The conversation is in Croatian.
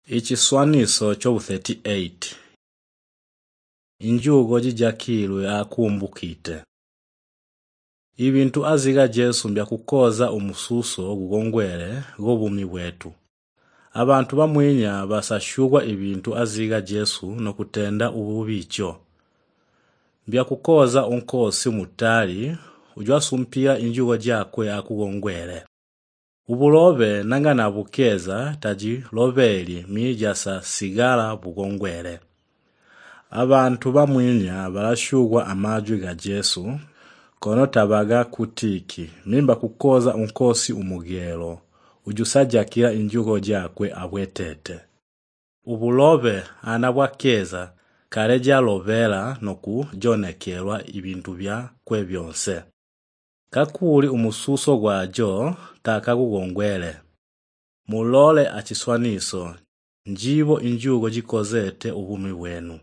Ichiswaniso chobu 38. Injugo jijakilwe akumbukite. Ibintu aziga Jesu mbyakukoza umususo gugongwele gobumi bwetu. Abantu bamwinya basashugwa ibintu aziga Jesu nokutenda ububicho. Mbyakukoza unkosi mutali ujwasumpia injugo jakwe akugongwele. Ubulobe nangana bukeza taji lobeli mijasa sigala bugongwele. Abantu bamwinya barashugwa amajwi ga Jesu kono tabaga kutiki mimba kukoza unkosi umugelo ujusajakira injugo jakwe abwetete. Ubulobe anabwakeza kareja lovela noku jonekelwa ibintu bya kwe byonse. Kakuli umususo gwajo takagugongwele. Mulole achiswaniso njibo injugo jikozete ubumi bwenu.